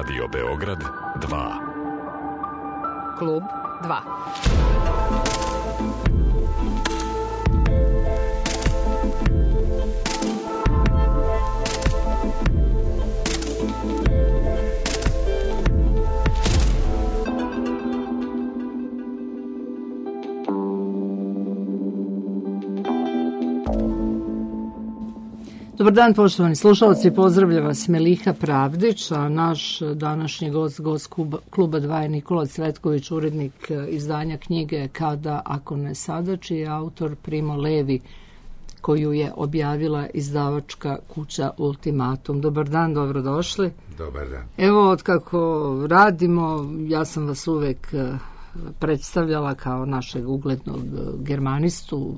Radio Beograd 2. Klub 2. Dobar dan, poštovani slušalci, pozdravlja vas Meliha Pravdić, a naš današnji gost Kluba 2 je Nikola Cvetković, urednik izdanja knjige Kada, ako ne sada, čiji je autor Primo Levi, koju je objavila izdavačka kuća Ultimatum. Dobar dan, dobrodošli. Dobar dan. Evo, od kako radimo, ja sam vas uvek predstavljala kao našeg uglednog germanistu,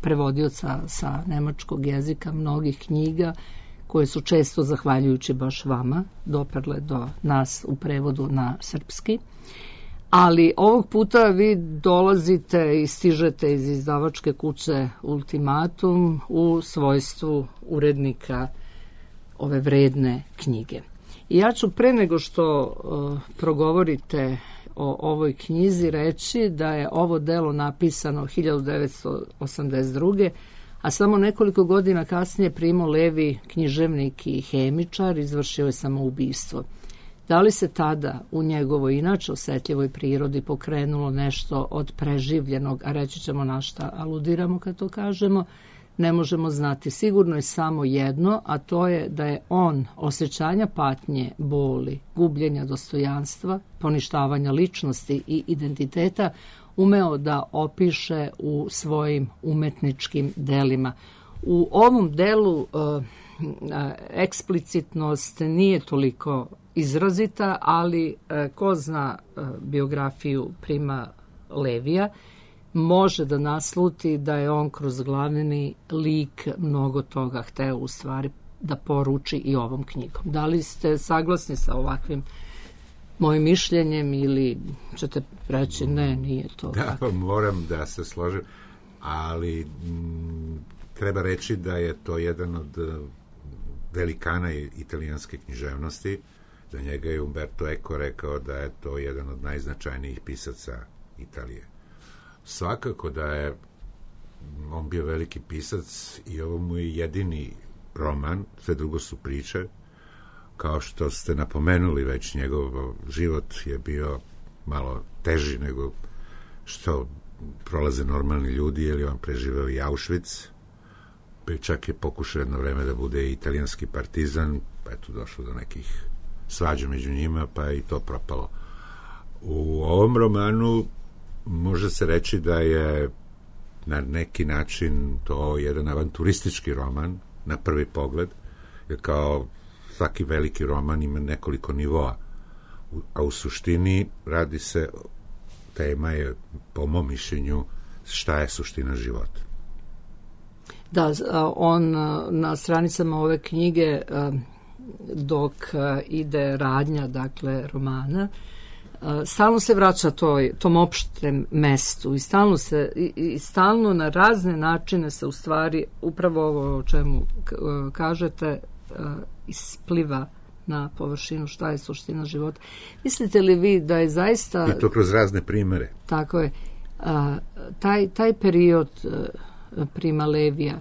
prevodioca sa nemačkog jezika mnogih knjiga koje su često, zahvaljujući baš vama, doprle do nas u prevodu na srpski. Ali ovog puta vi dolazite i stižete iz izdavačke kuće Ultimatum u svojstvu urednika ove vredne knjige. I ja ću pre nego što progovorite o ovoj knjizi reći da je ovo delo napisano 1982. a samo nekoliko godina kasnije Primo Levi, književnik i hemičar, izvršio je samoubistvo. Da li se tada u njegovoj inače osetljivoj prirodi pokrenulo nešto od preživljenog, a reći ćemo na šta aludiramo kad to kažemo, ne možemo znati. Sigurno je samo jedno, a to je da je on osjećanja patnje, boli, gubljenja dostojanstva, poništavanja ličnosti i identiteta umeo da opiše u svojim umetničkim delima. U ovom delu eksplicitnost nije toliko izrazita, ali ko zna biografiju Prima Levija, može da nasluti da je on kroz glavni lik mnogo toga hteo u stvari da poruči i ovom knjigom. Da li ste saglasni sa ovakvim mojim mišljenjem ili ćete reći ne, nije to da, tako? Moram da se složim, ali treba reći da je to jedan od velikana italijanske književnosti. Za njega je Umberto Eco rekao da je to jedan od najznačajnijih pisaca Italije. Svakako da je on bio veliki pisac i ovo mu je jedini roman, sve drugo su priče. Kao što ste napomenuli već, njegov život je bio malo teži nego što prolaze normalni ljudi, jer je on preživeo i Auschwitz, pa čak je pokušao jedno vreme da bude italijanski partizan, pa je tu došlo do nekih svađa među njima, pa je i to propalo. U ovom romanu može se reći da je na neki način to jedan avanturistički roman na prvi pogled, jer kao svaki veliki roman ima nekoliko nivoa, a u suštini radi se, tema je po mom mišljenju šta je suština života. Da, on na stranicama ove knjige dok ide radnja, dakle, romana, stalno se vraća tom opštem mestu i stalno na razne načine se u stvari upravo ovo o čemu kažete ispliva na površinu šta je suština života. Mislite li vi da je zaista... I to kroz razne primere. Tako je. Taj period Prima Levija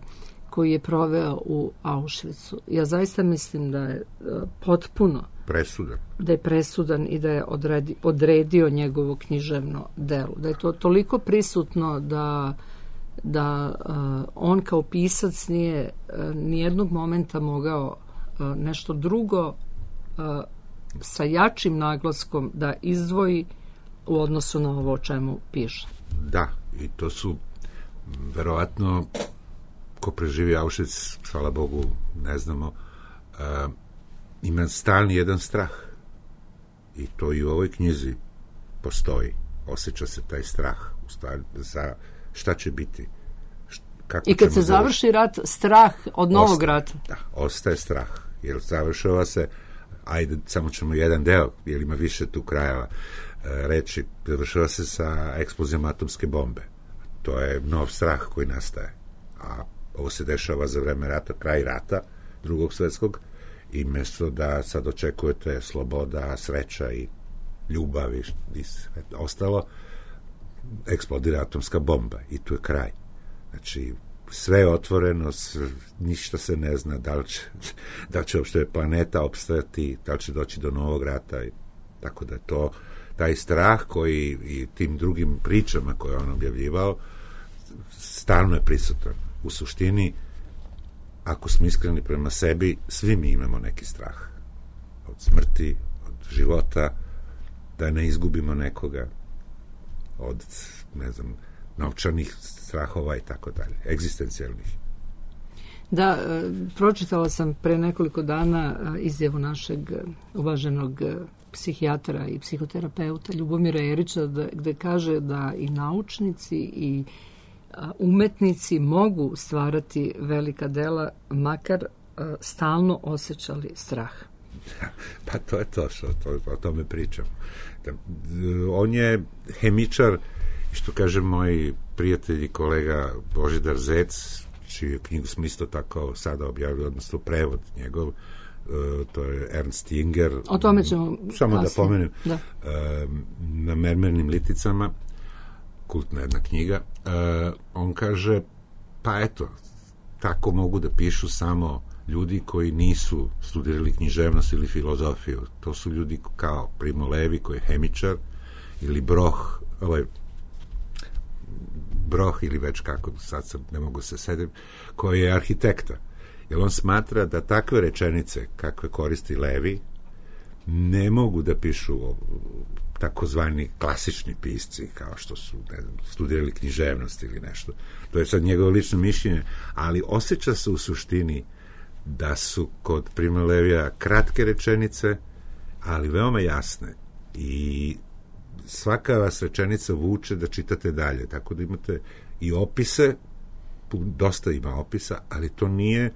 koji je proveo u Auschwitzu, ja zaista mislim da je potpuno presudan i da je odredio njegovo književno delo. Da je to toliko prisutno da on kao pisac nije nijednog momenta mogao nešto drugo sa jačim naglaskom da izdvoji u odnosu na ovo o čemu piše. Da, i to su verovatno ko preživi Auschwitz, hvala Bogu, ne znamo, ima stalni jedan strah. I to i u ovoj knjizi postoji. Osjeća se taj strah u stvari za šta će biti. I kad se završi rat, strah od novog rata. Da, ostaje strah. Jer završava se, ajde, samo ćemo jedan deo, jer ima više tu krajeva reći, završava se sa eksplozijom atomske bombe. To je nov strah koji nastaje. A ovo se dešava za vreme rata, kraj rata, Drugog svjetskog, I mjesto da sad očekujete sloboda, sreća i ljubav i sve ostalo, eksplodira atomska bomba i tu je kraj. Znači, sve je otvoreno, ništa se ne zna, da li će uopšte planeta opstajati, da li će doći do novog rata. Tako da to, taj strah koji i tim drugim pričama koje on objavljivao, stalno je prisutan. U suštini, ako smo iskreni prema sebi, svi mi imamo neki strah. Od smrti, od života, da ne izgubimo nekoga, od, ne znam, novčanih strahova i tako dalje, egzistencijalnih. Da, pročitala sam pre nekoliko dana izjavu našeg uvaženog psihijatra i psihoterapeuta Ljubomira Erića, gde kaže da i naučnici i umetnici mogu stvarati velika dela, makar stalno osjećali strah. Pa to je to što o tome pričam. On je hemičar, što kaže moj prijatelj i kolega Božidar Zec, čiju knjigu smo isto tako sada objavili, odnosno prevod njegov, to je Ernst Jünger. O tome ćemo samo kasnije. Da pomenem, na mermernim liticama, kultna jedna knjiga, on kaže, pa eto, tako mogu da pišu samo ljudi koji nisu studirali književnost ili filozofiju. To su ljudi kao Primo Levi, koji je hemičar, ili Broh ili već kako, sad sam, ne mogu se sedim, koji je arhitekta. Jer on smatra da takve rečenice, kakve koristi Levi, ne mogu da pišu takozvani klasični pisci, kao što su, ne znam, studirali književnost ili nešto. To je sad njegovo lično mišljenje, ali osjeća se u suštini da su kod Prima Levija kratke rečenice, ali veoma jasne. I svaka vas rečenica vuče da čitate dalje. Tako da imate i opise, dosta ima opisa, ali to nije,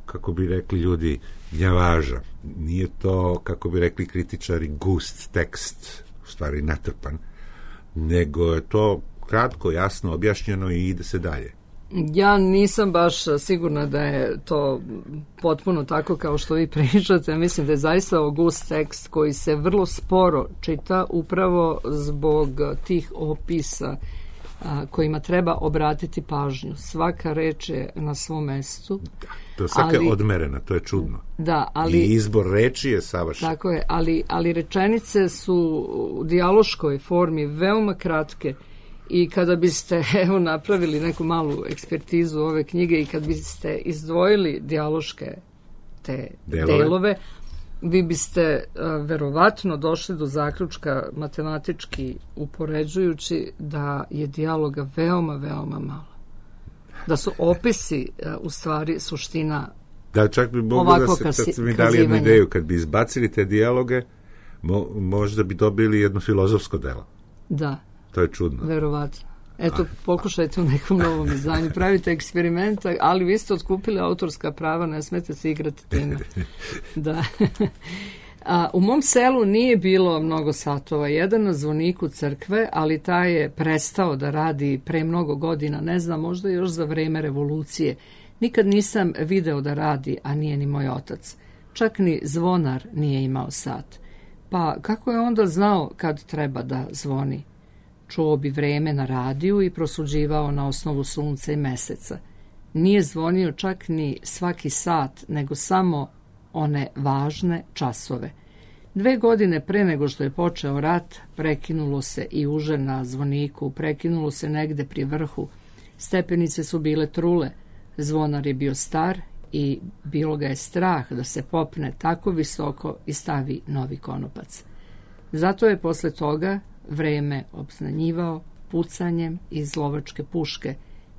kako bi rekli ljudi, gnjavaža. Nije to, kako bi rekli kritičari, gust tekst, u stvari natrpan, nego je to kratko, jasno objašnjeno i ide se dalje. Ja nisam baš sigurna da je to potpuno tako kao što vi pričate. Mislim da je zaista ovo gust tekst koji se vrlo sporo čita upravo zbog tih opisa kojima treba obratiti pažnju. Svaka reč je na svom mestu. To je svaka odmerena, to je čudno. Da, ali, i izbor reči je savršen. Tako je, ali rečenice su u dijaloškoj formi veoma kratke. I kada biste napravili neku malu ekspertizu ove knjige i kad biste izdvojili dijaloške te delove, vi biste verovatno došli do zaključka matematički upoređujući da je dijaloga veoma, veoma malo. Da su opisi u stvari suština. Da, čak bi moglo da se, kad ste mi dali jednu ideju, kad bi izbacili te dijaloge, možda bi dobili jedno filozofsko delo. Da. To je čudno. Verovatno. Eto, pokušajte u nekom novom izdanju. Pravite eksperimenta, ali vi ste otkupili autorska prava, ne smete se igrati time. Da. U mom selu nije bilo mnogo satova. Jedan na zvoniku crkve, ali taj je prestao da radi pre mnogo godina, ne znam, možda još za vreme revolucije. Nikad nisam video da radi, a nije ni moj otac. Čak ni zvonar nije imao sat. Pa kako je onda znao kad treba da zvoni? Čuo bi vreme na radiju i prosuđivao na osnovu sunca i meseca. Nije zvonio čak ni svaki sat, nego samo one važne časove. 2 godine pre nego što je počeo rat, prekinulo se i uže na zvoniku, prekinulo se negde pri vrhu. Stepenice su bile trule, zvonar je bio star i bilo ga je strah da se popne tako visoko i stavi novi konopac. Zato je posle toga vreme obznanjivao pucanjem iz lovačke puške.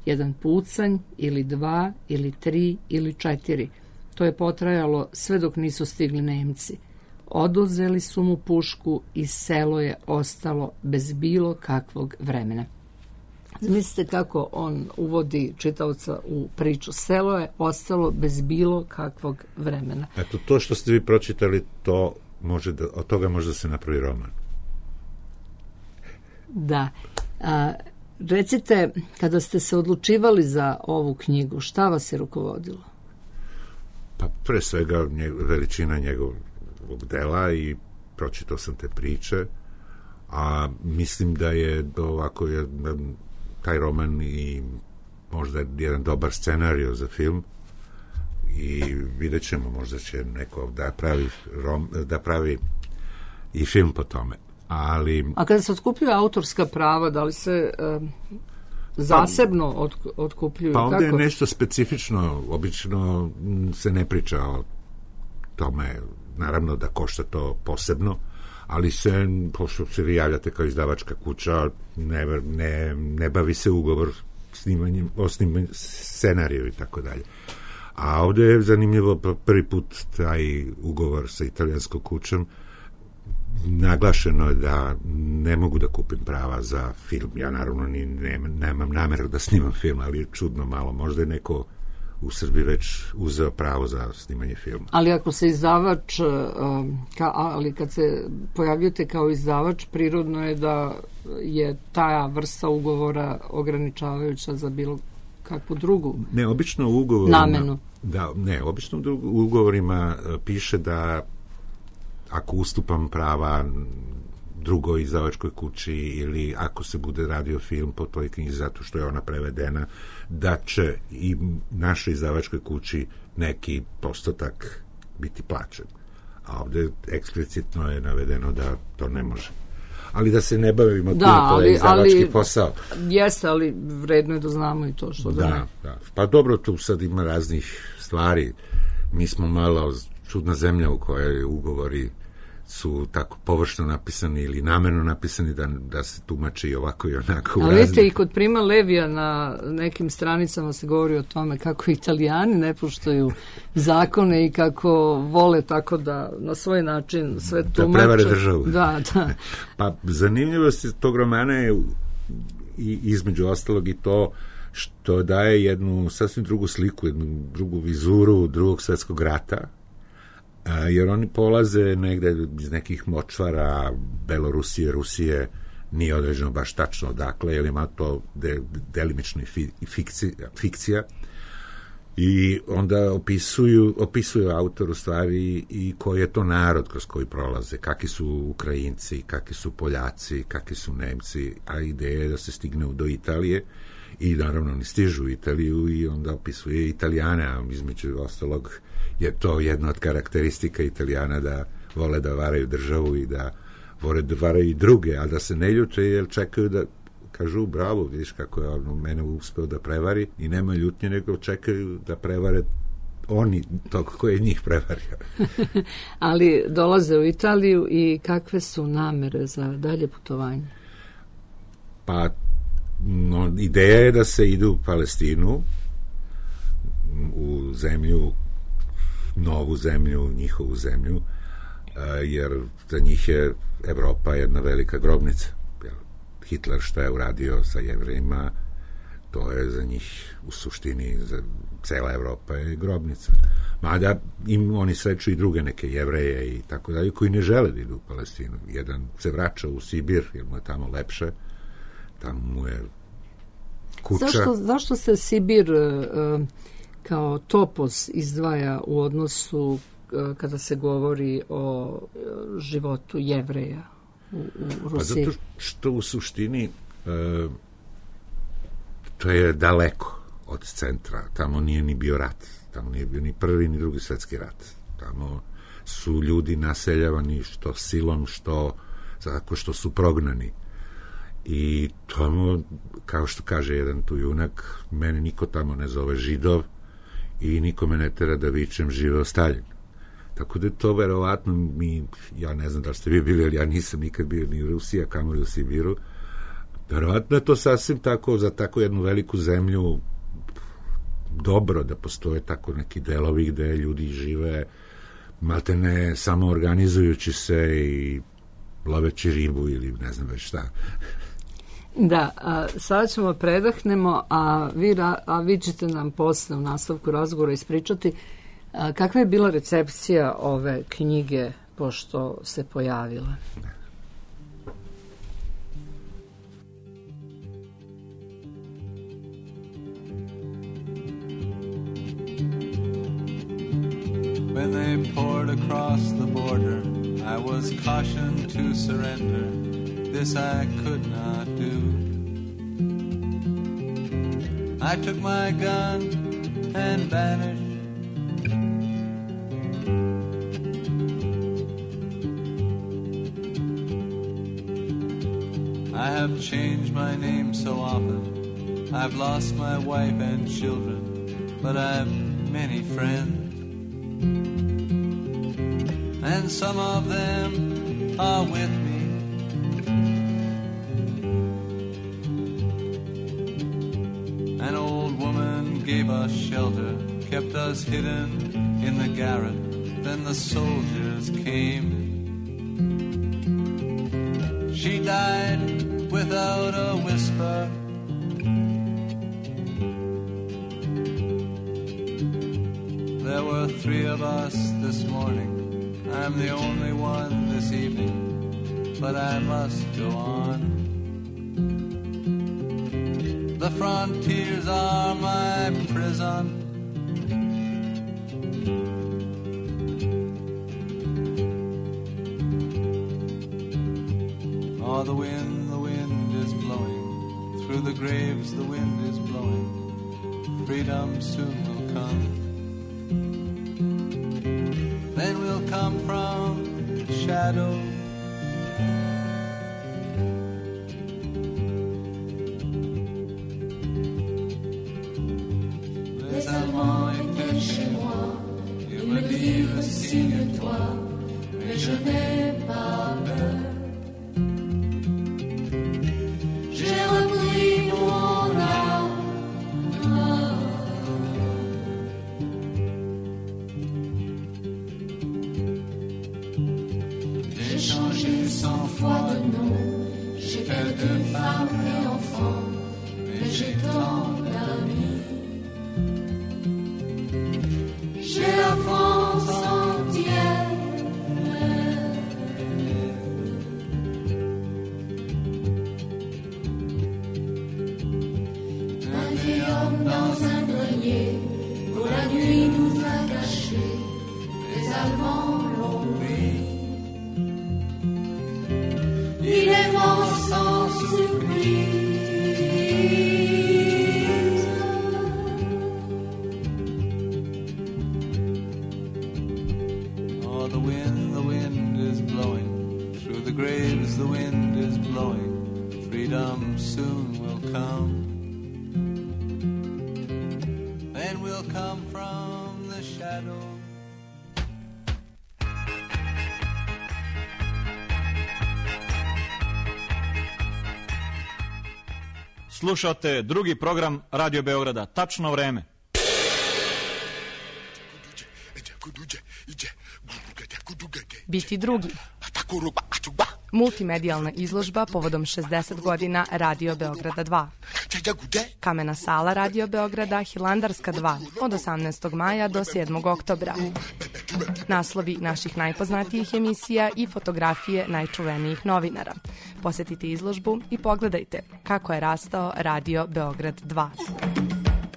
Jedan pucanj ili 2 ili 3 ili 4. To je potrajalo sve dok nisu stigli Nemci. Oduzeli su mu pušku i selo je ostalo bez bilo kakvog vremena. Zamislite kako on uvodi čitaoca u priču. Selo je ostalo bez bilo kakvog vremena. Eto, to što ste vi pročitali, to može da, od toga može da se napravi roman. Da. Recite, kada ste se odlučivali za ovu knjigu, šta vas je rukovodilo? Pa pre svega veličina njegovog dela i pročitao sam te priče, a mislim da je ovako taj roman i možda jedan dobar scenario za film i vidjet ćemo, možda će neko da pravi i film po tome. A kada se otkupljuju autorska prava, da li se zasebno otkupljuju? Pa ovdje je nešto specifično, obično se ne priča o tome, naravno da košta to posebno, ali pošto se vi javljate kao izdavačka kuća, ne bavi se ugovor o snimanju scenariju i tako dalje. A ovdje je zanimljivo prvi put taj ugovor sa italijanskom kućom, naglašeno je da ne mogu da kupim prava za film. Ja naravno nemam nameru da snimam film, ali je čudno malo. Možda je neko u Srbiji već uzeo pravo za snimanje filma. Ali ako se izdavač, ali kad se pojavljujete kao izdavač, prirodno je da je ta vrsta ugovora ograničavajuća za bilo kakvu drugu obično u ugovorima, namenu. Obično u ugovorima piše da ako ustupam prava drugoj izdavačkoj kući ili ako se bude radio film po toj knjizi zato što je ona prevedena, da će i našoj izdavačkoj kući neki postotak biti plaćen. A ovdje eksplicitno je navedeno da to ne može. Ali da se ne bavimo to je izdavački posao. Jeste, ali vredno je da znamo i to što da ne. Da. Pa dobro, tu sad ima raznih stvari. Mi smo malo čudna zemlja u kojoj ugovori su tako površno napisani ili namerno napisani da se tumači ovako i onako. Ali vidite, i kod Prima Levija na nekim stranicama se govori o tome kako Italijani ne poštuju zakone i kako vole tako da na svoj način sve tumače. Da prevare državu. Da. Pa zanimljivost tog romana je između ostalog i to što daje jednu sasvim drugu sliku, jednu drugu vizuru Drugog svjetskog rata, jer oni polaze negde iz nekih močvara Belorusije, Rusije, nije određeno baš tačno odakle, jer ima to delimično fikcija, i onda opisuju autor u stvari i koji je to narod kroz koji prolaze, kakvi su Ukrajinci, kakvi su Poljaci, kakvi su Nemci, a ideja je da se stigne do Italije i naravno oni stižu u Italiju i onda opisuje Italijane, a između ostalog je to jedna od karakteristika Italijana da vole da varaju državu i da vole da varaju i druge, a da se ne ljute jer čekaju da kažu bravo, vidiš kako je on mene uspeo da prevari i nema ljutnje, nego čekaju da prevare oni tog koji je njih prevario. Ali dolaze u Italiju i kakve su namere za dalje putovanje? Pa ideja je da se ide u Palestinu, u zemlju, novu zemlju, njihovu zemlju, jer za njih je Evropa jedna velika grobnica. Hitler šta je uradio sa Jevrejima, to je za njih u suštini, za cela Evropa je grobnica. Mada oni sreću i druge neke Jevreje i tako dalje, koji ne žele da idu u Palestinu. Jedan se vraća u Sibir, jer mu je tamo lepše, tamo mu je kuća. Zašto se Sibir kao topos izdvaja u odnosu kada se govori o životu Jevreja u Rusiji? Pa zato što u suštini to je daleko od centra, tamo nije ni bio rat, tamo nije bio ni prvi ni drugi svjetski rat, tamo su ljudi naseljavani što silom, što tako što su prognani. I tamo, kao što kaže jedan tu junak, mene niko tamo ne zove Židov i niko me ne tera da vičem živeo Staljin. Tako da je to verovatno ja ne znam da ste vi bili, ali ja nisam nikad bio ni u Rusiji, a kamoli u Sibiru. Verovatno je to sasvim tako, za tako jednu veliku zemlju dobro da postoje tako neki delovi gde ljudi žive maltene samo organizujući se i loveći ribu ili ne znam već šta. Da, sada ćemo predahnemo, a vi ćete nam posle u nastavku razgovora ispričati kakva je bila recepcija ove knjige pošto se pojavila. across the border. I was cautioned to surrender. This I could not do. I took my gun and vanished. I have changed my name so often. I've lost my wife and children, but I've many friends. And some of them are with me. An old woman gave us shelter, kept us hidden in the garret. Then the soldiers came. She died without a whisper. There were 3 of us this morning. I'm the only one this evening, but I must go on. The frontiers are my prison. Oh, the wind is blowing. Through the graves the wind is blowing. Freedom soon will come. Then we'll come from shadow. Les Allemands étaient chez moi. Ils me dirent signe-toi, mais je n'ai pas peur. J'ai repris mon âme. J'ai changé 100 fois de nom. J'ai perdu femme et enfant, mais j'ai tant d'amis. J'ai la France entière. Dans un grenier, pour la nuit nous a cachés, les Allemands l'ont pris. Il est mort sans surprise. Oh, the wind is blowing. Through the graves the wind is blowing. Freedom soon will come. Come from the shadow. Slušate drugi program Radio Beograda. Tačno vreme. Biti drugi. Multimedijalna izložba povodom 60 godina Radio Beograda 2. Kamena sala Radio Beograda Hilandarska 2 od 18. maja do 7. oktobra. Naslovi naših najpoznatijih emisija i fotografije najčuvenijih novinara. Posetite izložbu i pogledajte kako je rastao Radio Beograd 2.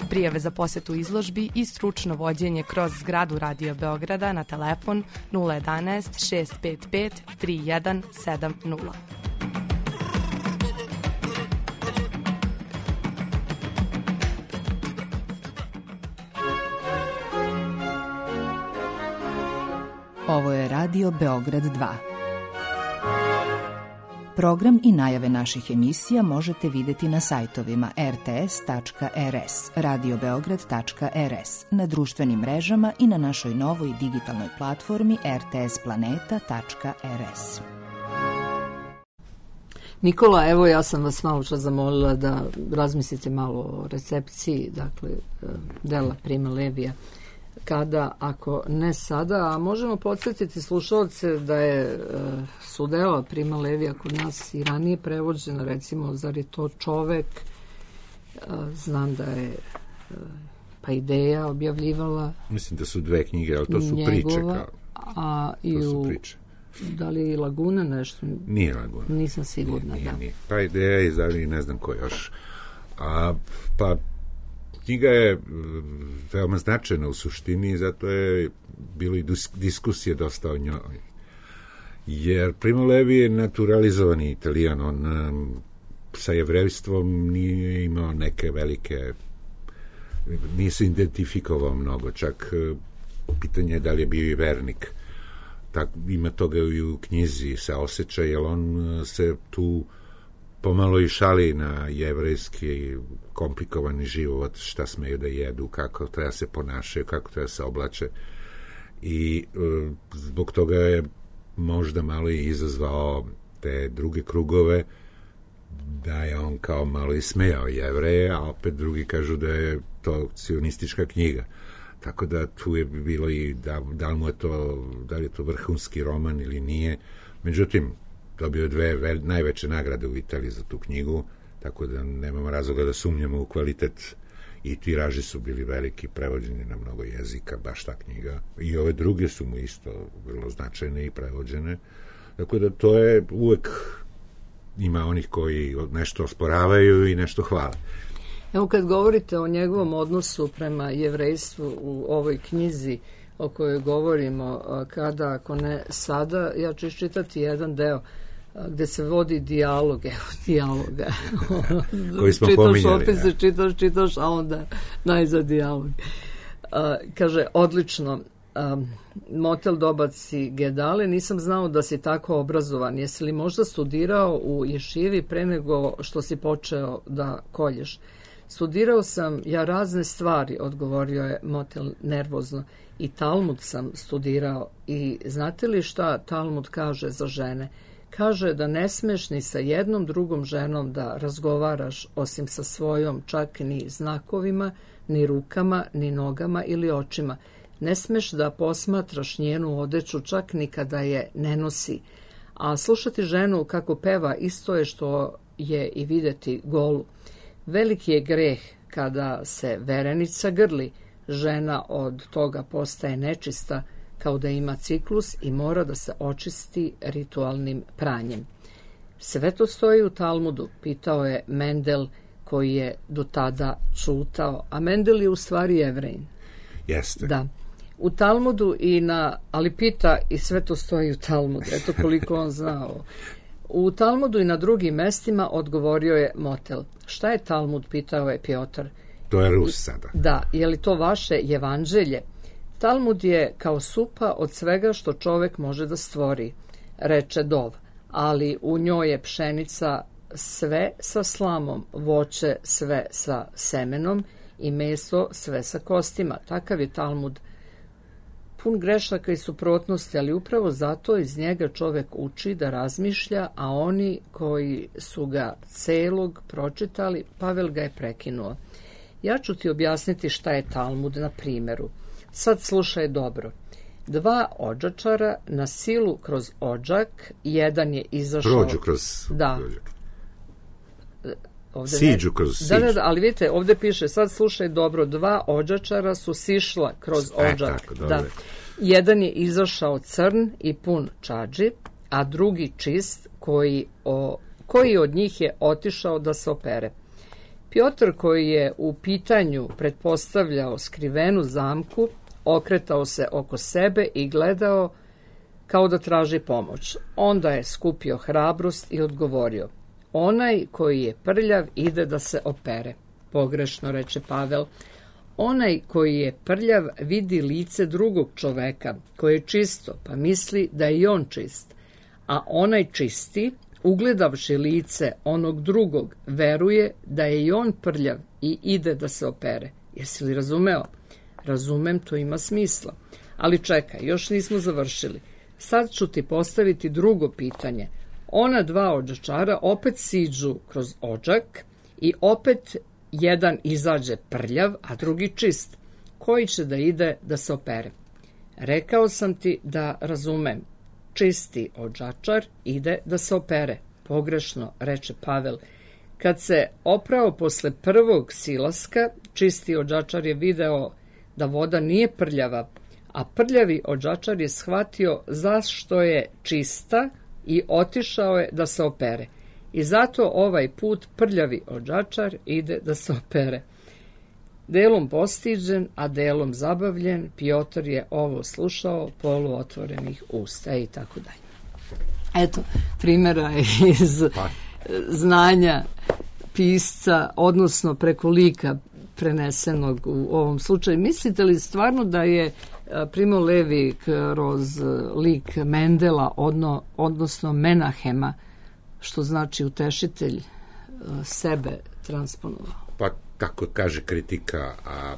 Prijave za posetu izložbi i stručno vođenje kroz zgradu Radio Beograda na telefon 011 655 3170. Ovo je Radio Beograd 2. Program i najave naših emisija možete vidjeti na sajtovima rts.rs, radiobeograd.rs, na društvenim mrežama i na našoj novoj digitalnoj platformi rtsplaneta.rs. Nikola, evo ja sam vas malo čas zamolila da razmislite malo o recepciji, dakle, dela Prima Levija. Kada, ako ne sada, a možemo podsjetiti slušalce da su dela Prima Levija kod nas i ranije prevođena, recimo, zar je to čovek, znam da je pa Ideja objavljivala. Mislim da su 2 knjige, ali to su njegova, priče. A i u, da li je Laguna nešto? Nije Laguna. Nisam sigurna, nije. Pa Ideja i ne znam ko još. Pa knjiga je veoma značajna u suštini i zato je bilo i diskusije dosta o njoj. Jer Primo Levi je naturalizovani Italijan, on sa jevrejstvom nije imao neke velike, nije se identifikovao mnogo, čak pitanje je da li je bio i vernik. Ima toga i u knjizi se osjeća, jer on se tu pomalo i šali na jevrejski komplikovani život, šta smeju da jedu, kako treba se ponašaju, kako treba se oblače. I zbog toga je možda malo i izazvao te druge krugove, da je on kao malo ismejao Jevreje, a opet drugi kažu da je to sionistička knjiga. Tako da tu je bilo i da li je to vrhunski roman ili nije. Međutim, dobio je 2 najveće nagrade u Italiji za tu knjigu, tako da nemamo razloga da sumnjamo u kvalitet, i tiraži su bili veliki, prevođeni na mnogo jezika, baš ta knjiga. I ove druge su mu isto vrlo značajne i prevođene. Tako da to je uvek, ima onih koji nešto osporavaju i nešto hvale. Evo, kad govorite o njegovom odnosu prema jevrejstvu u ovoj knjizi o kojoj govorimo, kada, ako ne sada, ja ću iščitati jedan deo gde se vodi dijalog, evo dijaloga. Koji smo pominjali. Opet se čitaš, a onda najzad dijalog. Kaže, odlično, motel dobaci Gedale, nisam znao da si tako obrazovan. Jesi li možda studirao u ješivi pre nego što si počeo da kolješ? Studirao sam ja razne stvari, odgovorio je motel nervozno. I Talmud sam studirao. I znate li šta Talmud kaže za žene? Kaže da ne smeš ni sa jednom drugom ženom da razgovaraš osim sa svojom, čak ni znakovima, ni rukama, ni nogama ili očima. Ne smeš da posmatraš njenu odeću čak ni kada je ne nosi. A slušati ženu kako peva isto je što je i videti golu. Veliki je greh kada se verenica grli. Žena od toga postaje nečista, kao da ima ciklus i mora da se očisti ritualnim pranjem. Sve to stoji u Talmudu, pitao je Mendel, koji je do tada čutao, a Mendel je u stvari Jevrejin. Jeste. Da. U Talmudu ali pita i sve to stoji u Talmudu, eto koliko on znao. U Talmudu i na drugim mestima odgovorio je motel. Šta je Talmud, pitao je Pjotar. To je Rus sada. Da, je li to vaše evanđelje? Talmud je kao supa od svega što čovek može da stvori, reče Dov, ali u njoj je pšenica sve sa slamom, voće sve sa semenom i meso sve sa kostima. Takav je Talmud, pun grešaka i suprotnosti, ali upravo zato iz njega čovek uči da razmišlja, a oni koji su ga celog pročitali, Pavel ga je prekinuo. Ja ću ti objasniti šta je Talmud na primjeru. Sad slušaj dobro. 2 odžačara na silu kroz odžak, jedan je izašao... Prođu kroz... Da. Siđu kroz siđu. Da, ali vidite, ovdje piše, sad slušaj dobro, 2 odžačara su sišla kroz odžak. Tako, dobro. Da. Jedan je izašao crn i pun čadži, a drugi čist, koji od njih je otišao da se opere. Pjotr, koji je u pitanju pretpostavljao skrivenu zamku, okretao se oko sebe i gledao kao da traži pomoć. Onda je skupio hrabrost i odgovorio: onaj koji je prljav ide da se opere. Pogrešno, reče Pavel. Onaj koji je prljav vidi lice drugog čoveka, koje je čisto, pa misli da je i on čist. A onaj čisti, ugledavši lice onog drugog, veruje da je i on prljav i ide da se opere. Jesi li razumeo? Razumem, to ima smisla. Ali čekaj, još nismo završili. Sad ću ti postaviti drugo pitanje. Ona 2 odžačara opet siđu kroz odžak i opet jedan izađe prljav, a drugi čist. Koji će da ide da se opere? Rekao sam ti da razumem. Čisti odžačar ide da se opere. Pogrešno, reče Pavel. Kad se oprao posle prvog silaska, čisti odžačar je video da voda nije prljava, a prljavi odžačar je shvatio zašto je čista i otišao je da se opere. I zato ovaj put prljavi odžačar ide da se opere. delom postiđen, a delom zabavljen, Piotr je ovo slušao poluotvorenih usta i tako dalje. Eto, primjera iz znanja pisca, odnosno preko lika prenesenog u ovom slučaju. Mislite li stvarno da je Primo Levi kroz lik Mendela, odnosno Menahema, što znači utešitelj, sebe transponovao? Pa tako kaže kritika, a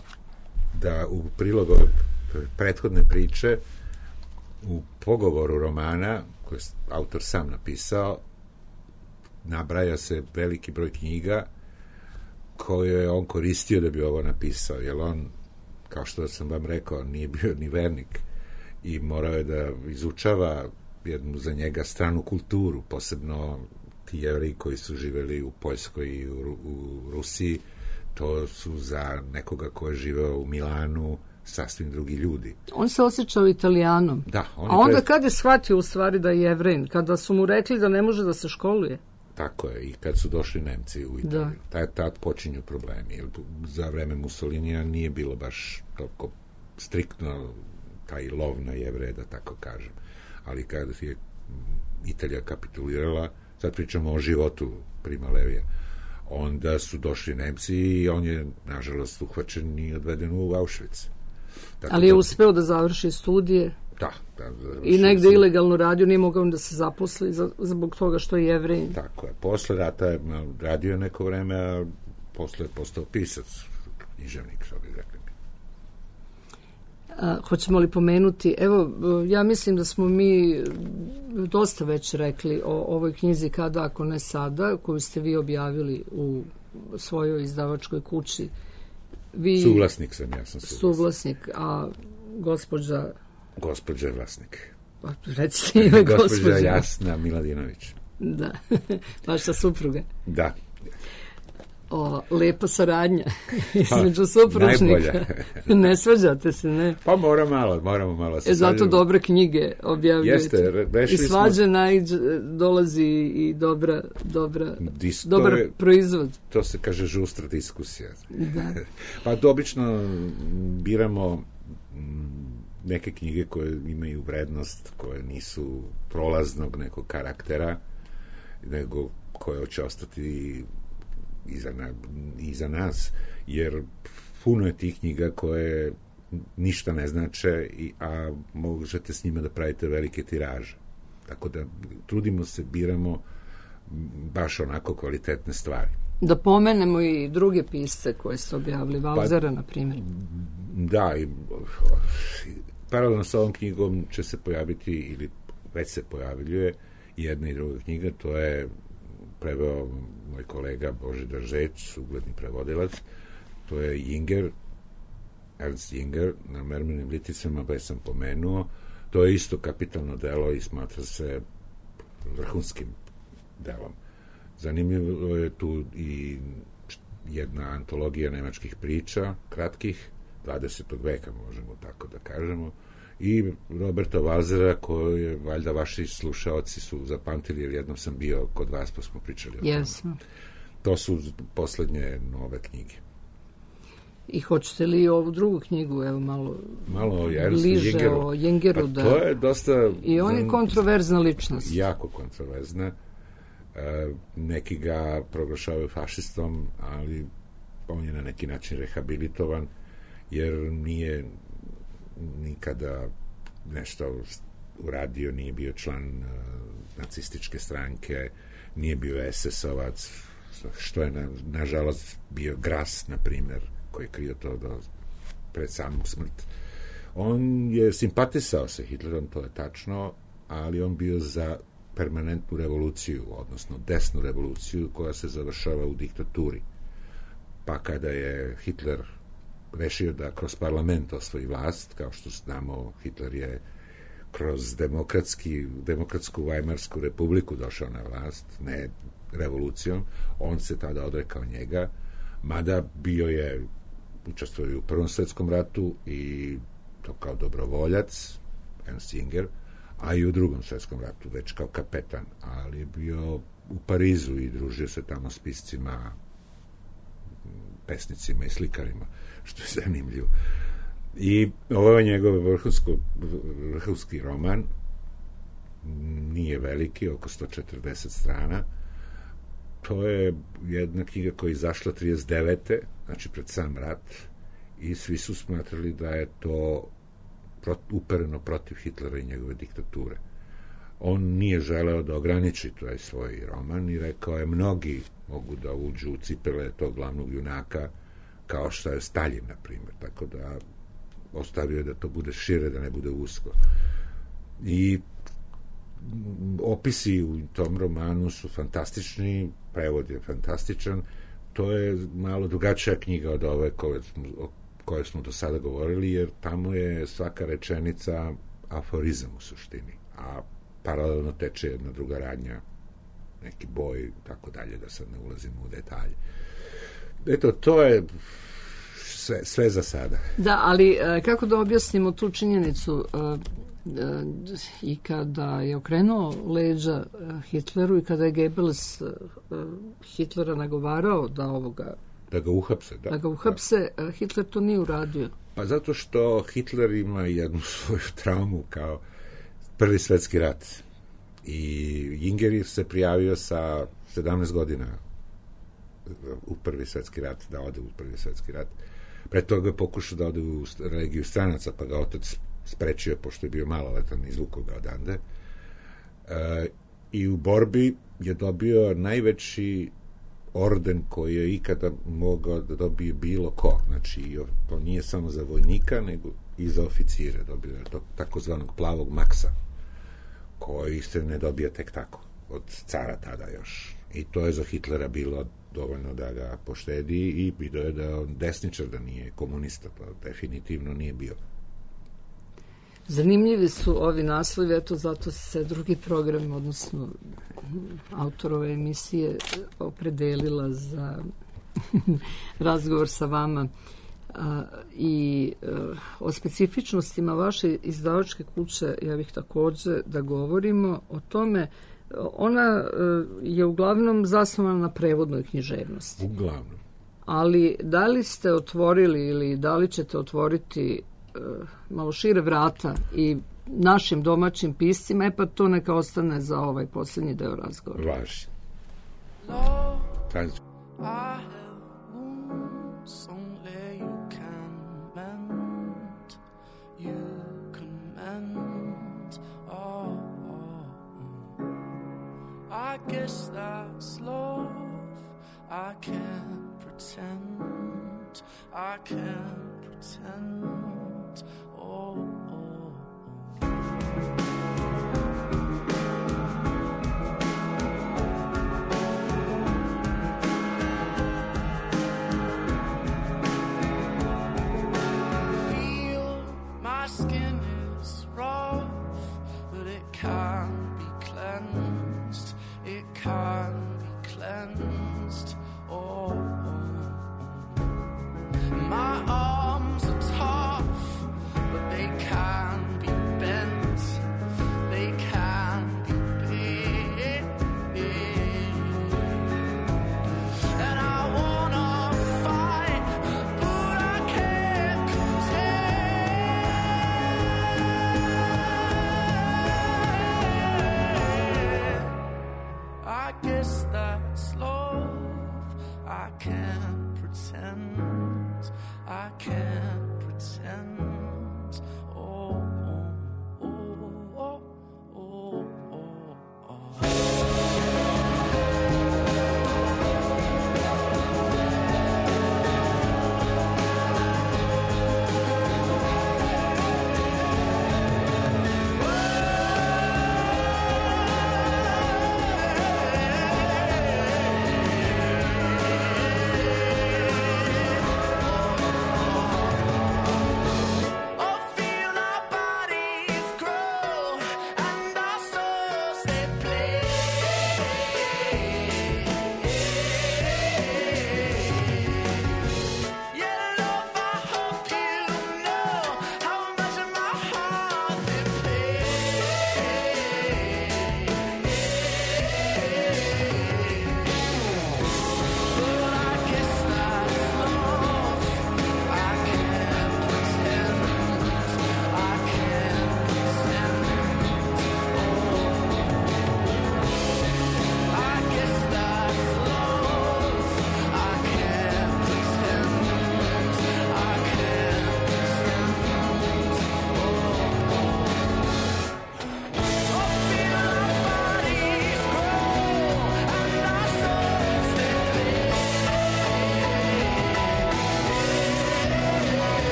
da u prilogu ove prethodne priče, u pogovoru romana, koji je autor sam napisao, nabraja se veliki broj knjiga koje je on koristio da bi ovo napisao, jer on, kao što sam vam rekao, nije bio ni vernik i morao je da izučava jednu za njega stranu kulturu, posebno ti Jevreji koji su živeli u Poljskoj i u Rusiji, to su za nekoga ko je živeo u Milanu sasvim drugi ljudi. On se osjećao Italijanom. Da, a onda kad je shvatio u stvari da je Jevrein? Kada su mu rekli da ne može da se školuje? Tako je, i kad su došli Nemci u Italiju. Tad počinju problemi. Jer za vreme Mussolinija nije bilo baš toliko striktno taj lov na Jevreje, da tako kažem. Ali kada je Italija kapitulirala, sad pričamo o životu Prima Levija, onda su došli Nemci i on je, nažalost, uhvaćen i odveden u Auschwitz. Tako ali je uspeo da završi studije. Da, i negde ilegalno radio, nije mogao da se zaposli zbog toga što je Jevrejin. Tako je. Posle rata je radio neko vreme, a posle je postao pisac, književnik, što bi rekli. Hoćemo li pomenuti, evo, ja mislim da smo mi dosta već rekli o ovoj knjizi Kada, ako ne sada, koju ste vi objavili u svojoj izdavačkoj kući. Suvlasnik sam, ja sam suvlasnik, a gospođa je vlasnik. Pa, recite ime gospođa Jasna Miladinović. Da, vaša supruga. Da. Lepa saradnja između supružnika. Ne svađate se, ne? Pa moramo malo se zato dobre knjige objavljujete. Jeste, i svađa dolazi i dobar proizvod. To se kaže žustra diskusija. Da. Pa obično biramo neke knjige koje imaju vrednost, koje nisu prolaznog nekog karaktera, nego koje će ostati iza nas, jer puno je tih knjiga koje ništa ne znače, a možete s njima da pravite velike tiraže. Tako da trudimo se, biramo baš onako kvalitetne stvari. Da pomenemo i druge pisce koje ste objavili, Valzera, na primjer. Da, i paralelno sa ovom knjigom će se pojaviti, ili već se pojavljuje, jedna i druga knjiga, to je preveo moj kolega Božidar Žeć, ugledni prevodilac, to je Jinger, Ernst Jinger, na Mermenim liticama, već sam pomenuo. To je isto kapitalno delo i smatra se vrhunskim delom. Zanimljivo je tu i jedna antologija nemačkih priča, kratkih, 20. veka, možemo tako da kažemo, i Roberta Valzera, koju je, valjda, vaši slušaoci su zapamtili, jer jednom sam bio kod vas, pa smo pričali o tome. To su poslednje nove knjige. I hoćete li ovu drugu knjigu, evo malo bliže o Jingeru? Pa to je dosta... I on je kontroverzna ličnost. Jako kontroverzna. Neki ga proglašavaju fašistom, ali on je na neki način rehabilitovan, jer nije nikada nešto uradio, nije bio član nacističke stranke, nije bio SS-ovac, što je nažalost bio Gras, na primjer, koji je krio to pred samu smrt. On je simpatisao sa Hitlerom, to je tačno, ali on bio za permanentnu revoluciju, odnosno desnu revoluciju koja se završava u diktaturi. Pa kada je Hitler rešio da kroz parlament osvoji vlast, kao što znamo, Hitler je kroz demokratsku Vajmarsku republiku došao na vlast, ne revolucijom, on se tada odrekao njega, mada bio je, učestvovao u Prvom svetskom ratu i to kao dobrovoljac, Ernst Jinger, a i u Drugom svetskom ratu, već kao kapetan, ali je bio u Parizu i družio se tamo s piscima pesnicima i slikarima, što je zanimljivo. I ovo je njegov vrhunski roman, nije veliki, oko 140 strana. To je jedna knjiga koja je izašla 39. znači pred sam rat, i svi su smatrali da je to upereno protiv Hitlera i njegove diktature. On nije želeo da ograniči taj svoj roman i rekao je, mnogi mogu da uđu u cipele tog glavnog junaka, kao što je Stalin, na primjer, tako da ostavio je da to bude šire, da ne bude usko. I opisi u tom romanu su fantastični, prevod je fantastičan. To je malo drugačija knjiga od ove koje smo do sada govorili, jer tamo je svaka rečenica aforizam u suštini, a paralelno teče jedna druga radnja, neki boj, tako dalje, da sad ne ulazimo u detalje. Eto, to je sve za sada. Da, ali kako da objasnimo tu činjenicu i kada je okrenuo leđa Hitleru i kada je Goebbels Hitlera nagovarao da ga uhapse, da ga uhapse, Hitler to nije uradio. Pa zato što Hitler ima jednu svoju traumu kao Prvi svetski rat. I Ingeri se prijavio sa 17 godina u Prvi svetski rat, da ode u Prvi svetski rat. Pre toga je pokušao da ode u Legiju stranaca, pa ga otac sprečio, pošto je bio maloletan, izvukao ga odande. I u borbi je dobio najveći orden koji je ikada mogao da dobije bilo ko. Znači, to nije samo za vojnika, nego i za oficire. Dobio je takozvanog plavog maksa, koji se ne dobija tek tako, od cara tada još. I to je za Hitlera bilo dovoljno da ga poštedi i vidio je da je on desničar, da nije komunista, to definitivno nije bio. Zanimljivi su ovi naslovi, eto zato se drugi program, odnosno autorove emisije, opredelila za razgovor sa vama i o specifičnostima vaše izdavačke kuće. Ja bih također da govorimo o tome. Ona je uglavnom zasnovana na prevodnoj književnosti. Uglavnom. Ali da li ste otvorili ili da li ćete otvoriti malo šire vrata i našim domaćim piscima, pa to neka ostane za ovaj posljednji deo razgovora. Važi. I guess that's love. I can't pretend. I can't pretend. Oh, oh, oh. Feel my skin is rough, but it can't be cleansed. It can be cleansed. Oh, oh, oh. My arms are tough, but they can be bent. They can be bent. And I wanna fight, but I can't contend. I guess that's love. I can't pretend. I can't pretend. Oh, oh, oh, oh, oh, oh.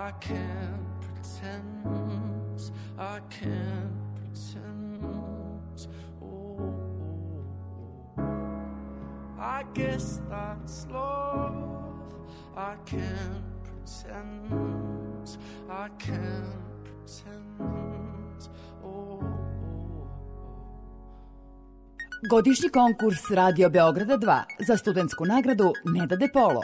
I can't pretend, I can't pretend. Oh, I guess that's love. I can't pretend, I can't pretend. Oh. Godišnji konkurs Radio Beograda 2 za studentsku nagradu Neda De Polo.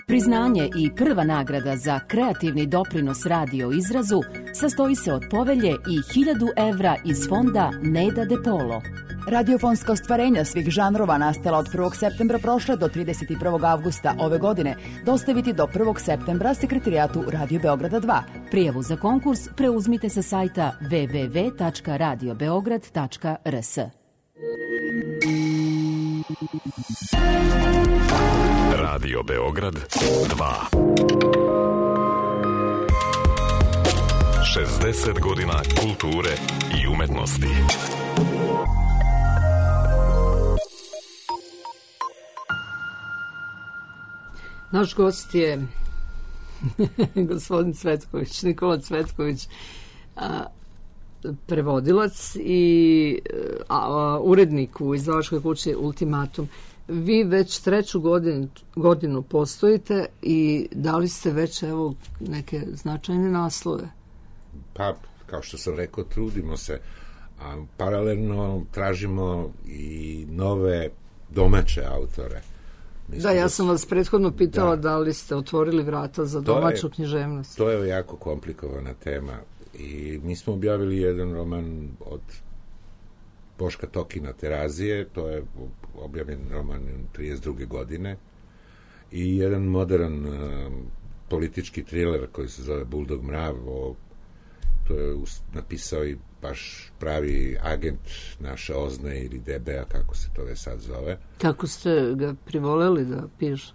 Priznanje i prva nagrada za kreativni doprinos radio izrazu sastoji se od povelje i 1000 evra iz fonda Neda De Polo. Radiofonska ostvarenja svih žanrova nastala od 1. septembra prošle do 31. avgusta ove godine dostaviti do 1. septembra sekretarijatu Radio Beograda 2. Prijavu za konkurs preuzmite sa sajta www.radiobeograd.rs. Radio Beograd 2. 60 godina kulture i umetnosti. Naš gost je gospodin Cvetković, Nikola Cvetković, prevodilac i urednik u izdavačkoj kući Ultimatum. Vi već 3. godinu postojite i dali ste već evo neke značajne naslove. Pa, kao što sam rekao, trudimo se. A paralelno tražimo i nove domaće autore. Da, ja sam vas prethodno pitala da li ste otvorili vrata za domaću književnost. To je jako komplikovana tema i mi smo objavili jedan roman od Boška Tokina Terazije, to je objavljen roman 32. godine, i jedan modern politički triler koji se zove Buldog mrav, to je napisao i baš pravi agent naše OZNE ili DB-a, kako se to već sad zove. Kako ste ga privoleli da piše?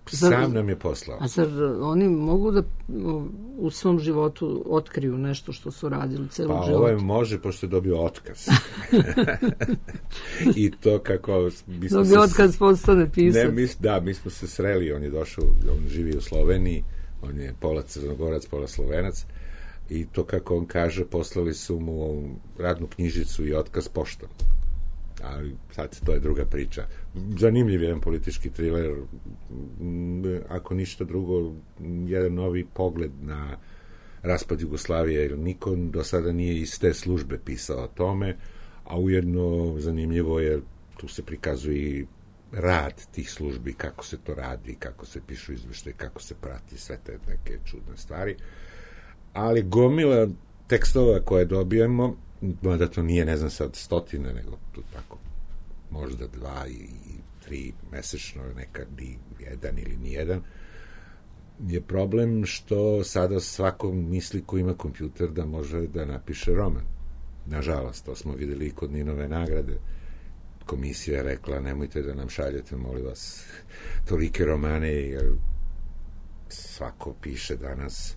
Sam nam je poslao. A zar oni mogu da u svom životu otkriju nešto što su radili celog života? Pa ovaj može, pošto je dobio otkaz. I to kako... Dobio otkaz, postane pisac. Mi smo se sreli, on je došao, on živi u Sloveniji, on je pola Crnogorac, pola Slovenac, i to kako on kaže, poslali su mu radnu knjižicu i otkaz poštom. Ali sad to je druga priča. Zanimljiv jedan politički triler, ako ništa drugo, jedan novi pogled na raspad Jugoslavije, jer niko do sada nije iz te službe pisao o tome, a ujedno zanimljivo je, tu se prikazuje i rad tih službi, kako se to radi, kako se pišu izveštaje, kako se prati sve te neke čudne stvari. Ali gomila tekstova koje dobijemo, mada to nije, ne znam sad, stotine, nego tu tako, možda 2 i 3 mesečno, nekad i 1 ili nijedan, je problem što sada svako misli ko ima kompjuter da može da napiše roman. Nažalost, to smo videli i kod Ninove nagrade. Komisija je rekla, nemojte da nam šaljete, molim vas, tolike romane, jer svako piše danas.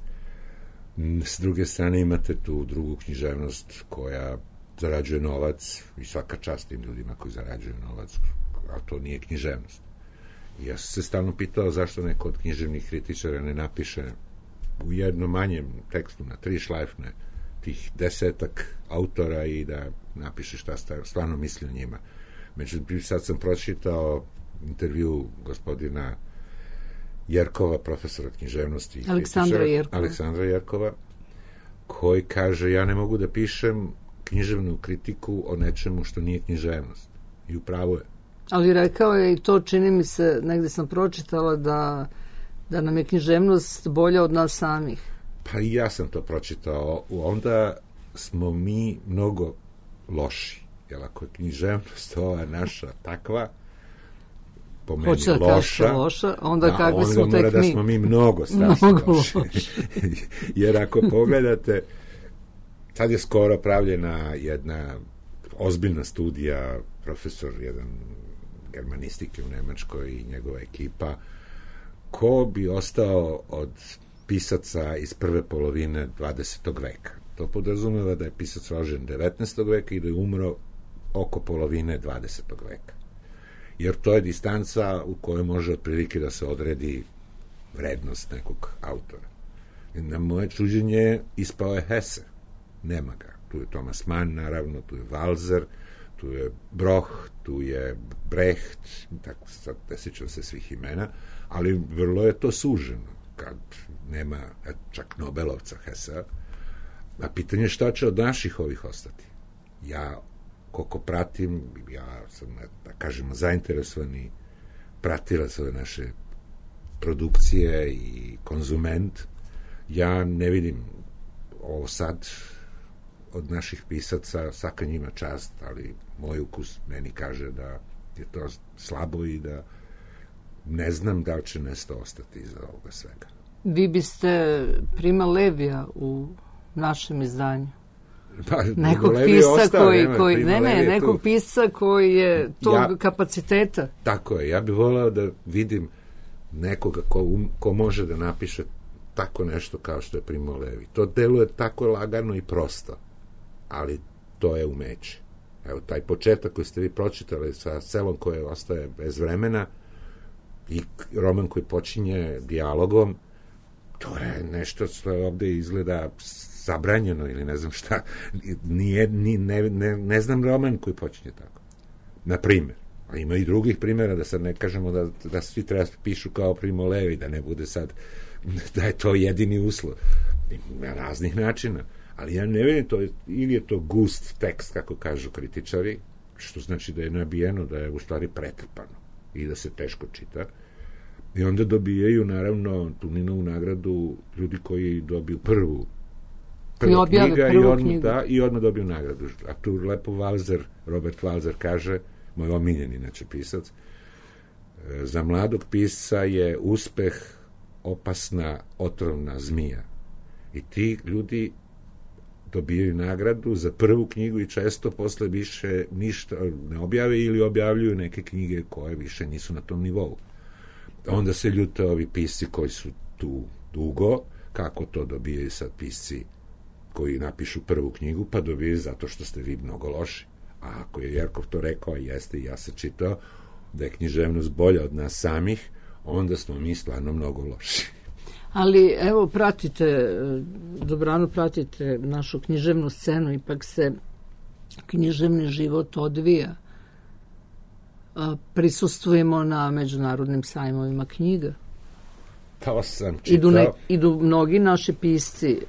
S druge strane imate tu drugu književnost koja zarađuje novac, i svaka čast tim ljudima koji zarađuju novac, a to nije književnost. I ja sam se stalno pitao zašto neko od književnih kritičara ne napiše u jednom manjem tekstu na 3 šlajfne tih 10 autora i da napiše šta stvarno misli o njima. Međutim, sad sam pročitao intervju gospodina Jerkova, profesora književnosti, Aleksandra Jerkova, koji kaže, ja ne mogu da pišem književnu kritiku o nečemu što nije književnost. I upravo je. Ali rekao je i to, čini mi se, negde sam pročitala da nam je književnost bolja od nas samih. Pa i ja sam to pročitao. Onda smo mi mnogo loši. Jer ako je književnost ova naša takva, po meni loša, onda kakvi smo tek mi. Onda mora da smo mi mnogo strašno loši. Jer ako pogledate, sad je skoro pravljena jedna ozbiljna studija, profesor jedan germanistike u Nemačkoj i njegova ekipa, ko bi ostao od pisaca iz prve polovine 20. veka. To podrazumeva da je pisac rođen 19. veka i da je umro oko polovine 20. veka. Jer to je distanca u kojoj može otprilike da se odredi vrednost nekog autora. Na moje čuđenje ispao je Hesse. Nema ga. Tu je Thomas Mann, naravno, tu je Walser, tu je Broch, tu je Brecht, tako sad ne sjećam se svih imena, ali vrlo je to suženo, kad nema čak Nobelovca Hessa. A pitanje je šta će od naših ovih ostati. Ja, koliko pratim, ja sam, da kažemo, zainteresovani pratilac ove naše produkcije i konzument, ja ne vidim ovo sad od naših pisaca, svaka njima čast, ali moj ukus meni kaže da je to slabo i da ne znam da li će nešto ostati iza ovoga svega. Vi biste Prima Levija u našem izdanju? Pa, nekog pisca nekog pisca koji je tog kapaciteta. Tako je, ja bih voleo da vidim nekoga ko može da napiše tako nešto kao što je Primo Levi. To deluje tako lagano i prosto, ali to je umeće. Evo, taj početak koji ste vi pročitali sa selom koje ostaje bez vremena i roman koji počinje dijalogom, to je nešto što ovde izgleda zabranjeno ili ne znam šta. Ne znam roman koji počinje tako. Na primjer. A ima i drugih primjera, da sad ne kažemo da svi treba pišu kao Primo Levi, da ne bude sad da je to jedini uslov. Na raznih načina. Ali ja ne vidim to, ili je to gust tekst, kako kažu kritičari, što znači da je nabijeno, da je u stvari pretrpano i da se teško čita. I onda dobijaju, naravno, tu Ninovu nagradu ljudi koji dobiju prvu knjiga i odmah dobiju nagradu. A tu lepo Robert Walser kaže, moj omiljen inače pisac, za mladog pisca je uspeh opasna otrovna zmija. I ti ljudi dobijaju nagradu za prvu knjigu i često posle više ništa ne objave ili objavljuju neke knjige koje više nisu na tom nivou. Onda se ljute ovi pisci koji su tu dugo, kako to dobijaju sad pisci koji napišu prvu knjigu, pa dobijaju zato što ste vi mnogo loši. A ako je Jerkov to rekao, jeste i ja sam čitao, da je književnost bolja od nas samih, onda smo mi stvarno mnogo loši. Ali evo, dobrano pratite našu književnu scenu, ipak se književni život odvija. Prisustvujemo na međunarodnim sajmovima knjiga. To sam čitao. Idu mnogi naši pisci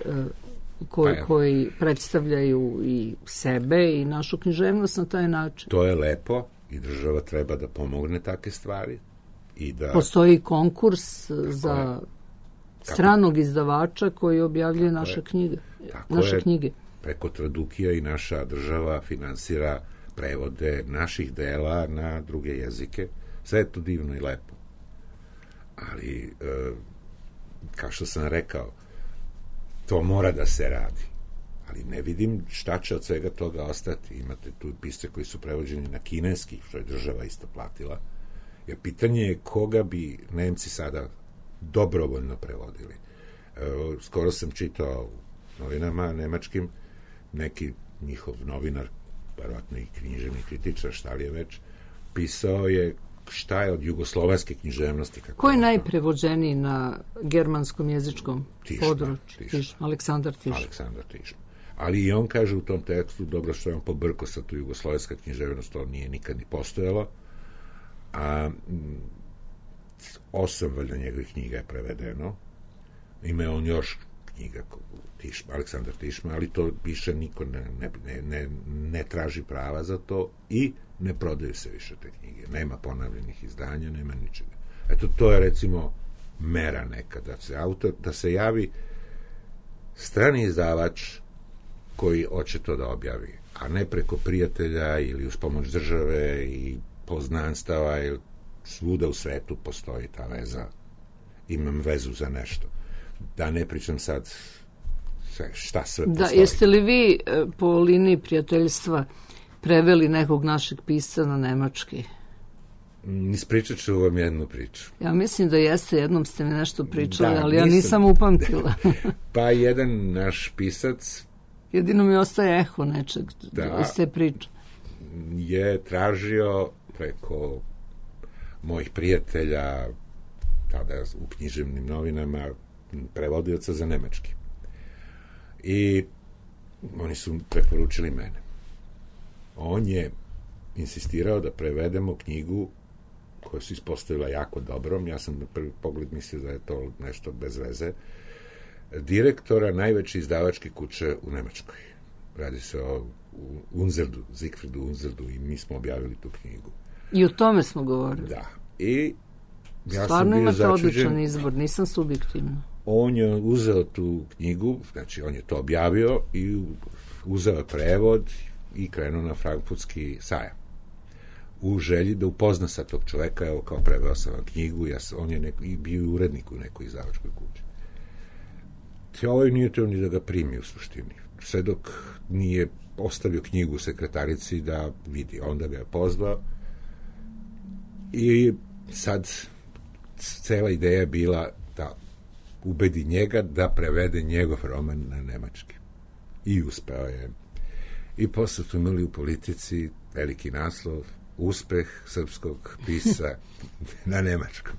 koji predstavljaju i sebe i našu književnost na taj način. To je lepo i država treba da pomogne takve stvari. Postoji konkurs za stranog izdavača koji objavljuje naše knjige. Preko Tradukija i naša država finansira prevode naših dela na druge jezike. Sve je to divno i lepo. Ali, kao što sam rekao, to mora da se radi. Ali ne vidim šta će od svega toga ostati. Imate tu pisce koji su prevođeni na kineski, što je država isto platila. Jer pitanje je koga bi Nemci sada dobrovoljno prevodili. Skoro sam čitao u novinama nemačkim, neki njihov novinar, verovatno i književni kritičar, šta li je već, pisao je šta je od jugoslovenske književnosti. Ko je najprevođeniji na germanskom jezičkom području? Aleksandar Tišma. Ali i on kaže u tom tekstu, dobro što je on pobrkao sa tu jugoslovenska književnost, to nije nikad ni postojalo, a 8 valjda njegovih knjiga je prevedeno. Ima on još knjiga Aleksandar Tišma, ali to više niko ne traži prava za to i ne prodaju se više te knjige. Nema ponavljenih izdanja, nema ničega. Eto, to je recimo mera neka, da se javi strani izdavač koji hoće to da objavi, a ne preko prijatelja ili uz pomoć države i poznanstava, ili svuda u svetu postoji ta veza. Imam vezu za nešto. Da ne pričam sad šta sve postoji. Jeste li vi po liniji prijateljstva preveli nekog našeg pisca na nemački? Ispričat ću vam jednu priču. Ja mislim da jeste, jednom ste mi nešto pričali, ali ja nisam upamtila. Pa jedan naš pisac, jedino mi ostaje eho nečeg iz te priče, je tražio preko mojih prijatelja tada u književnim novinama prevodioca za nemački. I oni su preporučili mene. On je insistirao da prevedemo knjigu koja se ispostavila jako dobrom. Ja sam na prvi pogled mislio da je to nešto bez veze. Direktora najveće izdavačke kuće u Nemačkoj. Radi se o Unzerdu, Siegfriedu Unzerdu, i mi smo objavili tu knjigu. I o tome smo govorili. Da. I ja stvarno sam bio imate začuđen. odličan izbor, nisam subjektivna. On je uzeo tu knjigu, znači on je to objavio i uzeo prevod i krenuo na frankfurtski sajam. U želji da upozna sa tog čoveka, evo kao preveo sam vam knjigu, on je bio urednik u nekoj izdavačkoj kući. Te ovaj nije teo ni da ga primi u suštini. Sve dok nije ostavio knjigu sekretarici da vidi. Onda ga je pozvao i sad cela ideja je bila da ubedi njega da prevede njegov roman na nemački. I uspeo je. I posle su imali u Politici veliki naslov uspeh srpskog pisa na nemačkom.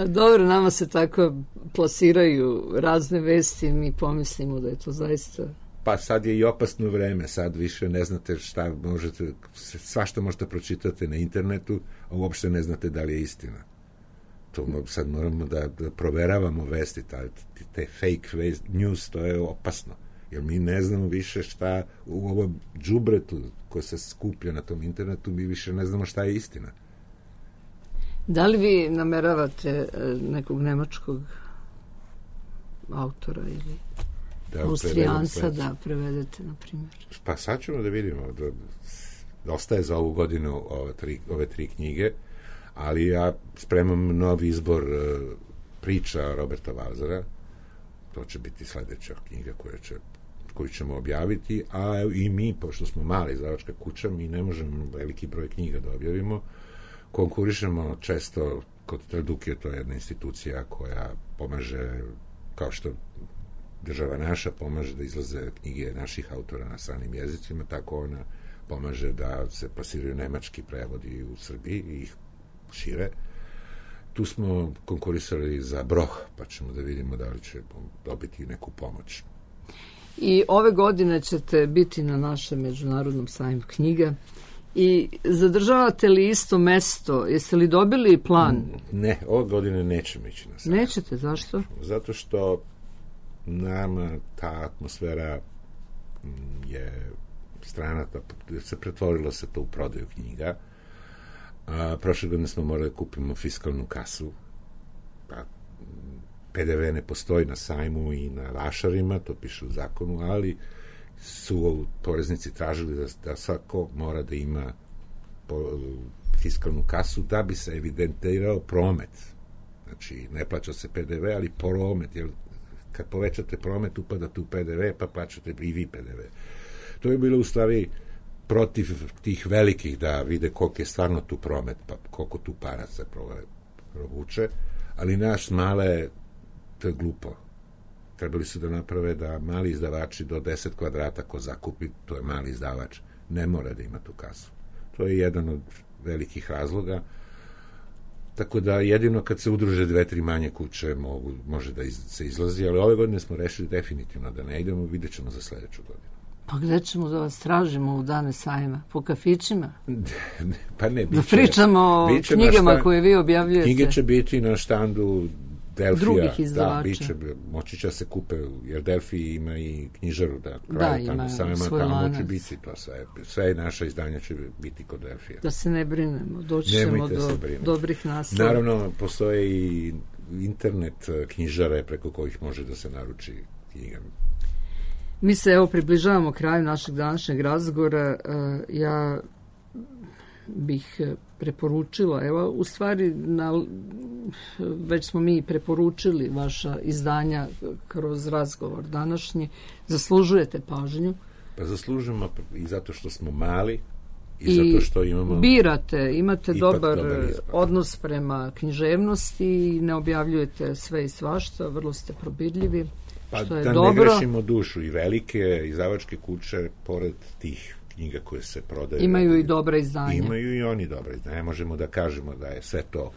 Dobro, nama se tako plasiraju razne vesti i mi pomislimo da je to zaista... Pa sad je i opasno vreme, sad više ne znate šta možete, svašta možete pročitati na internetu, a uopšte ne znate da li je istina. To sad moramo da proveravamo vesti, te fake news, to je opasno. Jer mi ne znamo više šta u ovom džubretu koje se skuplja na tom internetu, mi više ne znamo šta je istina. Da li vi nameravate nekog nemačkog autora ili Austrijanca da prevedete, na primjer? Pa sad ćemo da vidimo. Ostaje za ovu godinu ove tri knjige, ali ja spremam novi izbor priča Roberta Walsera. To će biti sledeća knjiga koju ćemo objaviti, a i mi, pošto smo mala izdavačka kuća, mi ne možemo veliki broj knjiga da objavimo. Konkurišemo često kod Traduke, to je jedna institucija koja pomaže, kao što država naša pomaže da izlaze knjige naših autora na stranim jezicima, tako ona pomaže da se plasiraju nemački prevodi u Srbiji i ih šire. Tu smo konkurisali za Broh, pa ćemo da vidimo da li će dobiti neku pomoć. I ove godine ćete biti na našem međunarodnom sajmu knjiga i zadržavate li isto mesto? Jeste li dobili plan? Ne, ove godine nećemo ići na sajam. Nećete, zašto? Zato što nama ta atmosfera je strana, se pretvorilo se to u prodaju knjiga. Prošle godine smo morali da kupimo fiskalnu kasu, pa PDV ne postoji na sajmu i na vašarima, to piše u zakonu, ali su poreznici tražili da svako mora da ima fiskalnu kasu da bi se evidentirao promet. Znači, ne plaća se PDV, ali promet, jer kad povećate promet, upadate u PDV, pa plaćate i vi PDV. To je bilo u stvari protiv tih velikih da vide koliko je stvarno tu promet, pa koliko tu para se provuče, ali naš male, to je glupo. Trebali su da naprave da mali izdavači do 10 kvadrata ko zakupi, to je mali izdavač, ne mora da ima tu kasu. To je jedan od velikih razloga. Tako da jedino kad se udruže 2-3 manje kuće može da se izlazi, ali ove godine smo rešili definitivno da ne idemo, vidjet ćemo za sledeću godinu. Pa gde ćemo da vas tražimo u dane sajma? Po kafićima? Pa ne, da pričamo o knjigama koje vi objavljujete. Knjige će biti na štandu Delfija. Drugih izdavača. Moći će se kupe, jer Delfij ima i knjižaru da kraju tamo sajma, tamo će biti to sve naša izdanja će biti kod Delfija. Da se ne brinemo, doći ćemo do dobrih naslova. Naravno, postoje i internet knjižare preko kojih može da se naruči knjigama. Mi se evo približavamo kraju našeg današnjeg razgovora. Ja bih preporučila, evo u stvari već smo mi preporučili vaša izdanja kroz razgovor današnji. Zaslužujete pažnju. Pa zaslužujemo i zato što smo mali i zato što imamo... Imate dobar odnos prema književnosti i ne objavljujete sve i svašta, vrlo ste probirljivi. Pa da ne grešimo dušu, i velike izdavačke kuće, pored tih knjiga koje se prodaju... Imaju i dobra izdanja. Imaju i oni dobra izdanja. Ne možemo da kažemo da je sve to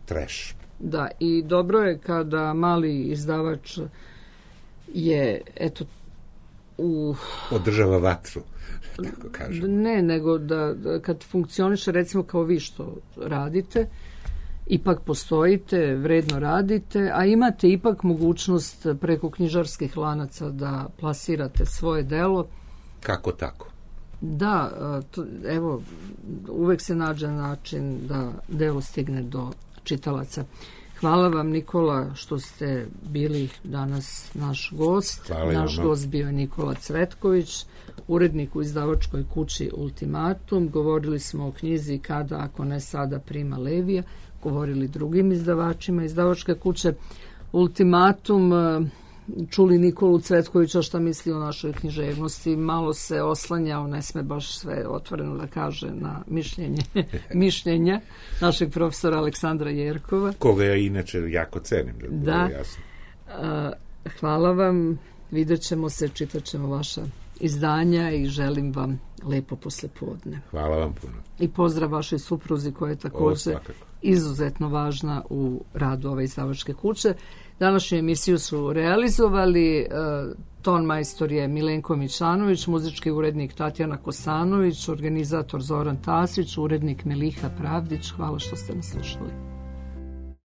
trash. Da, i dobro je kada mali izdavač je, eto, održava vatru, tako kažem. Ne, nego da kad funkcioniše, recimo kao vi što radite, ipak postojite, vredno radite, a imate ipak mogućnost preko knjižarskih lanaca da plasirate svoje delo. Kako tako? Da, evo, uvek se nađe način da delo stigne do čitalaca. Hvala vam, Nikola, što ste bili danas naš gost. Naš gost bio je Nikola Cvetković, urednik u izdavačkoj kući Ultimatum. Govorili smo o knjizi Kada, ako ne sada, Prima Levija. Govorili drugim izdavačima. Izdavačka kuća Ultimatum, čuli Nikolu Cvetkovića šta misli o našoj književnosti. Malo se oslanjao, ne sme baš sve otvoreno da kaže, na mišljenja našeg profesora Aleksandra Jerkova. Koga ja inače jako cenim. Da. Hvala vam. Vidjet ćemo se, čitat ćemo vaša izdanja i želim vam lepo poslepodne. Hvala vam puno. I pozdrav vašoj supruzi koja je također izuzetno važna u radu ove izdavačke kuće. Današnju emisiju su realizovali ton majstor je Milenko Mićanović, muzički urednik Tatjana Kosanović, organizator Zoran Tasić, urednik Meliha Pravdić. Hvala što ste nas slušali.